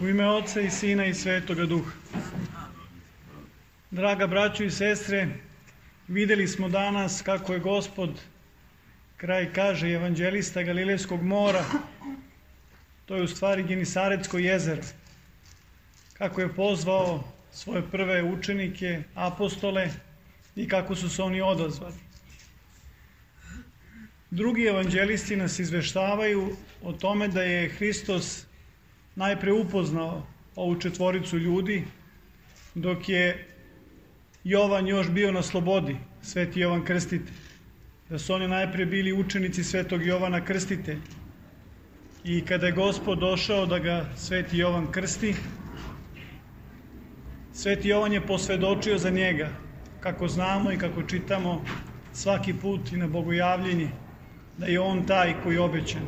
U ime Oca i Sina i Svetoga Duha. Draga braćo i sestre, videli smo danas kako je Gospod, kraj kaže evanđelista Galilejskog mora, to je u stvari Genisaretsko jezero, kako je pozvao svoje prve učenike, apostole i kako su se oni odazvali. Drugi evanđelisti nas izveštavaju o tome da je Hristos najpre upoznao ovu četvoricu ljudi, dok je Jovan još bio na slobodi, Sveti Jovan Krstitelj. Da su oni najpre bili učenici Svetog Jovana Krstitelja. I kada je Gospod došao da ga Sveti Jovan krsti, Sveti Jovan je posvedočio za njega, kako znamo i kako čitamo svaki put i na bogojavljenje, da je on taj koji je obećan,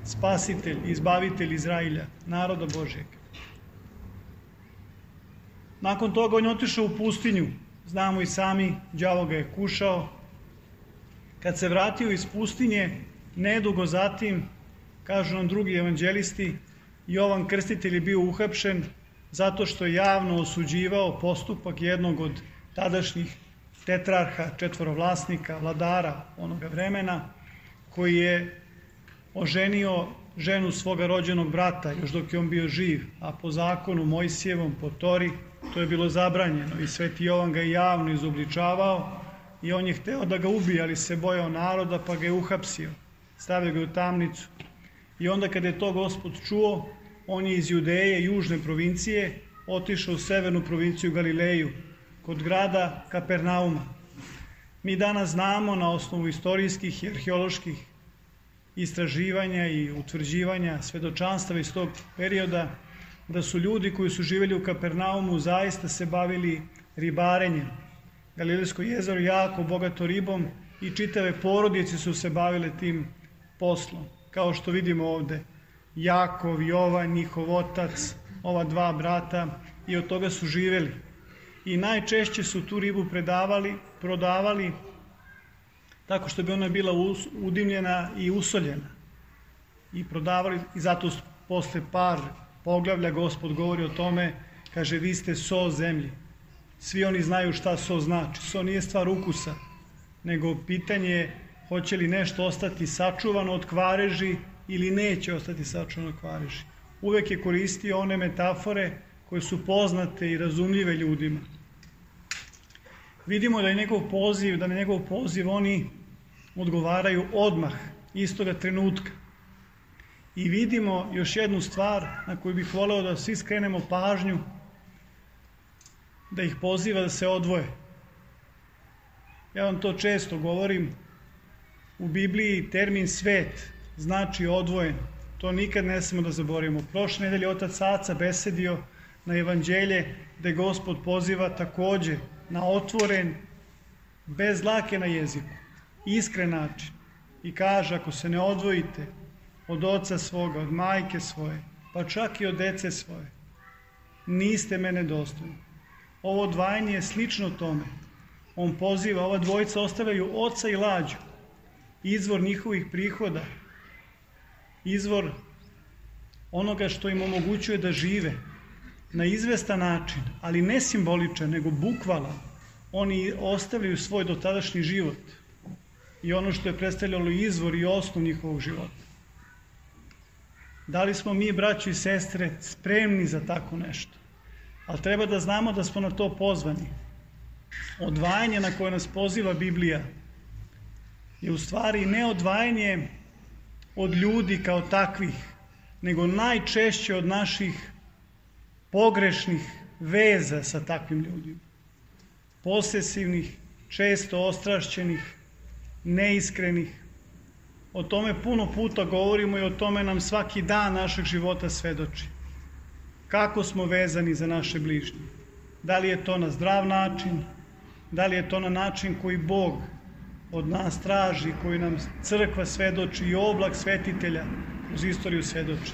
spasitelj, izbavitelj Izrailja, naroda Božjeg. Nakon toga on je otišao u pustinju, znamo i sami, đavo ga je kušao. Kad se vratio iz pustinje, nedugo zatim, kažu nam drugi evanđelisti, Jovan Krstitelj je bio uhapšen zato što je javno osuđivao postupak jednog od tadašnjih tetrarha, četvorovlasnika, vladara onoga vremena, koji je oženio ženu svoga rođenog brata, još dok je on bio živ, a po zakonu Mojsijevom, po Tori, to je bilo zabranjeno i Sveti Jovan ga je javno izobličavao i on je hteo da ga ubije, ali se bojao naroda pa ga je uhapsio, stavio ga u tamnicu. I onda kada je to Gospod čuo, on je iz Judeje, južne provincije, otišao u severnu provinciju Galileju, kod grada Kapernauma. Mi danas znamo na osnovu istorijskih i arheoloških istraživanja i utvrđivanja svedočanstava iz tog perioda da su ljudi koji su živjeli u Kapernaumu zaista se bavili ribarenjem. Galilejsko jezero jako bogato ribom i čitave porodice su se bavile tim poslom. Kao što vidimo ovde, Jakov, Jovan, njihov otac, ova dva brata i od toga su živjeli. I najčešće su tu ribu prodavali tako što bi ona bila udimljena i usoljena. I prodavali, i zato posle par poglavlja Gospod govori o tome, kaže vi ste so zemlji. Svi oni znaju šta so znači. So nije stvar ukusa, nego pitanje je hoće li nešto ostati sačuvano od kvareži ili neće ostati sačuvano od kvareži. Uvek je koristio one metafore koje su poznate i razumljive ljudima. Vidimo da je na njegov poziv oni odgovaraju odmah, istoga trenutka. I vidimo još jednu stvar na koju bih voleo da svi skrenemo pažnju, da ih poziva da se odvoje. Ja vam to često govorim, u Bibliji termin svet znači odvojen. To nikad ne smemo da zaboravimo. Prošle nedelje otac Aca besedio na evanđelje gde Gospod poziva takođe na otvoren, bez dlake na jeziku, iskren način. I kaže, ako se ne odvojite od oca svoga, od majke svoje, pa čak i od dece svoje, niste mene dostojni. Ovo odvajanje je slično tome. On poziva, ova dvojica ostavljaju oca i lađu, izvor njihovih prihoda, izvor onoga što im omogućuje da žive na izvestan način, ali ne simboličan, nego bukvalan. Oni ostavljaju svoj dotadašnji život i ono što je predstavljalo izvor i osnov njihovog života. Da li smo mi, braćo i sestre, spremni za tako nešto? Ali treba da znamo da smo na to pozvani. Odvajanje na koje nas poziva Biblija je u stvari ne odvajanje od ljudi kao takvih, nego najčešće od naših pogrešnih veza sa takvim ljudima. Posesivnih, često ostrašćenih, neiskrenih. O tome puno puta govorimo i o tome nam svaki dan našeg života svedoči. Kako smo vezani za naše bližnje? Da li je to na zdrav način? Da li je to na način koji Bog od nas traži, koji nam crkva svedoči i oblak svetitelja uz istoriju svedoči?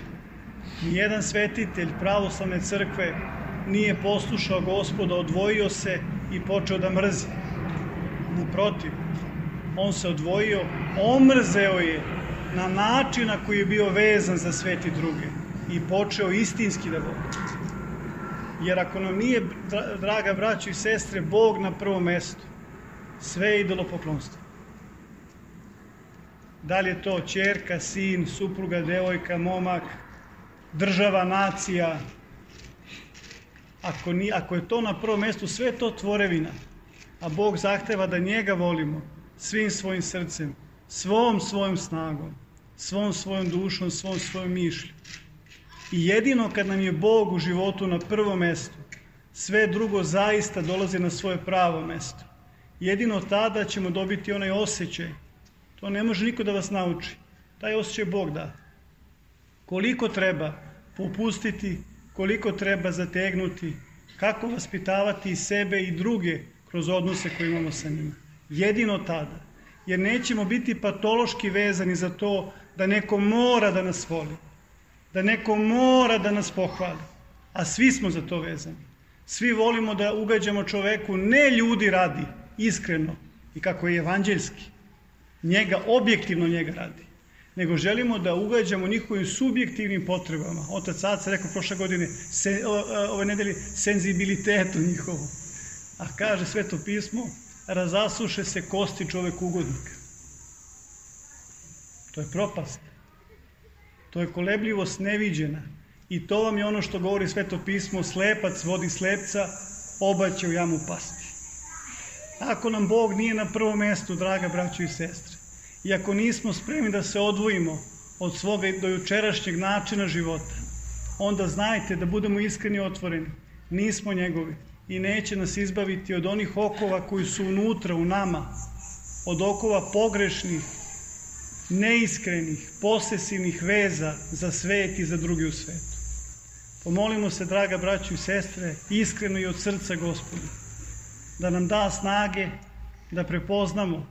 Nijedan svetitelj pravoslavne crkve nije poslušao Gospoda, odvojio se i počeo da mrzi. Naprotiv, on se odvojio, omrzeo je na način na koji je bio vezan za sve ti druge. i počeo istinski da voli. Jer ako nam nije, draga braćo i sestre, Bog na prvom mestu, sve je idolopoklonstvo. Da li je to ćerka, sin, supruga, devojka, momak, država, nacija, ako je to na prvom mestu, sve je to tvorevina, a Bog zahteva da njega volimo svim svojim srcem, svom svojom snagom, svom svojom dušom, svom svojom mišlju. I jedino kad nam je Bog u životu na prvom mestu, sve drugo zaista dolazi na svoje pravo mesto. Jedino tada ćemo dobiti onaj osjećaj. To ne može niko da vas nauči. Taj osjećaj Bog da. Koliko treba popustiti, koliko treba zategnuti, kako vaspitavati i sebe i druge kroz odnose koje imamo sa njima. Jedino tada. Jer nećemo biti patološki vezani za to da neko mora da nas voli, da neko mora da nas pohvali, a svi smo za to vezani. Svi volimo da ugađamo čoveku, ne ljudi radi, iskreno i kako je evanđeljski, objektivno njega radi, nego želimo da ugađamo njihovim subjektivnim potrebama. Otac Aca rekao prošle godine, ove nedelje, senzibilitetu njihovom. A kaže Sveto pismo, razasuše se kosti čoveku-ugodnika. To je propast. To je kolebljivost neviđena. I to vam je ono što govori Sveto pismo, slepac vodi slepca, oba će u jamu pasti. Ako nam Bog nije na prvom mestu, draga braćo i sestre, i ako nismo spremni da se odvojimo od svoga dojučerašnjeg načina života, onda znajte da budemo iskreni i otvoreni. Nismo njegovi i neće nas izbaviti od onih okova koji su unutra u nama, od okova pogrešnih, neiskrenih, posesivnih veza za svet i za drugi u svetu. Pomolimo se, draga braćo i sestre, iskreno i od srca Gospodu, da nam da snage da prepoznamo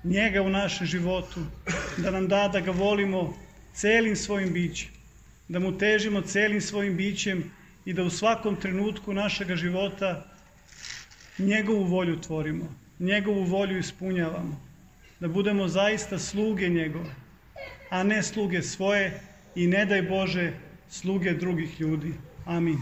njega u našem životu, da nam da ga volimo celim svojim bićem, da mu težimo celim svojim bićem i da u svakom trenutku našega života njegovu volju tvorimo, njegovu volju ispunjavamo, da budemo zaista sluge njegove, a ne sluge svoje i ne daj Bože sluge drugih ljudi. Amin.